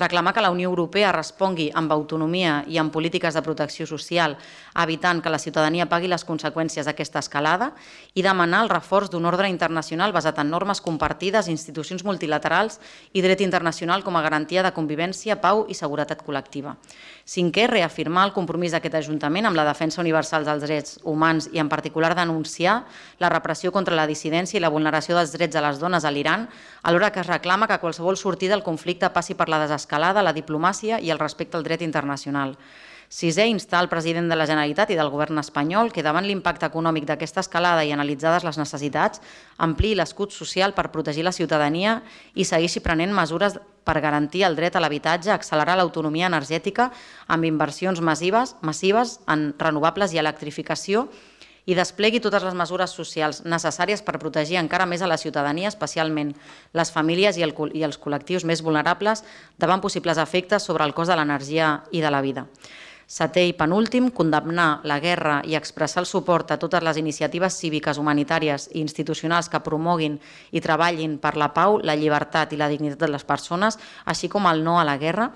reclamar que la Unió Europea respongui amb autonomia i amb polítiques de protecció social, evitant que la ciutadania pagui les conseqüències d'aquesta escalada, i demanar el reforç d'un ordre internacional basat en normes compartides, institucions multilaterals i dret internacional com a garantia de convivència, pau i seguretat col·lectiva. Cinquè, reafirmar el compromís d'aquest Ajuntament amb la defensa universal dels drets humans i en particular denunciar la repressió contra la dissidència i la vulneració dels drets de les dones a l'Iran, alhora que es reclama que qualsevol sortida del conflicte passi per la desescalada, la diplomàcia i el respecte al dret internacional. Sisè, instar el president de la Generalitat i del govern espanyol que davant l'impacte econòmic d'aquesta escalada i analitzades les necessitats, ampliï l'escut social per protegir la ciutadania i segueixi prenent mesures per garantir el dret a l'habitatge, accelerar l'autonomia energètica amb inversions massives en renovables i electrificació i desplegui totes les mesures socials necessàries per protegir encara més a la ciutadania, especialment les famílies i els col·lectius més vulnerables davant possibles efectes sobre el cost de l'energia i de la vida. Setè i penúltim, condemnar la guerra i expressar el suport a totes les iniciatives cíviques, humanitàries i institucionals que promoguin i treballin per la pau, la llibertat i la dignitat de les persones, així com el no a la guerra.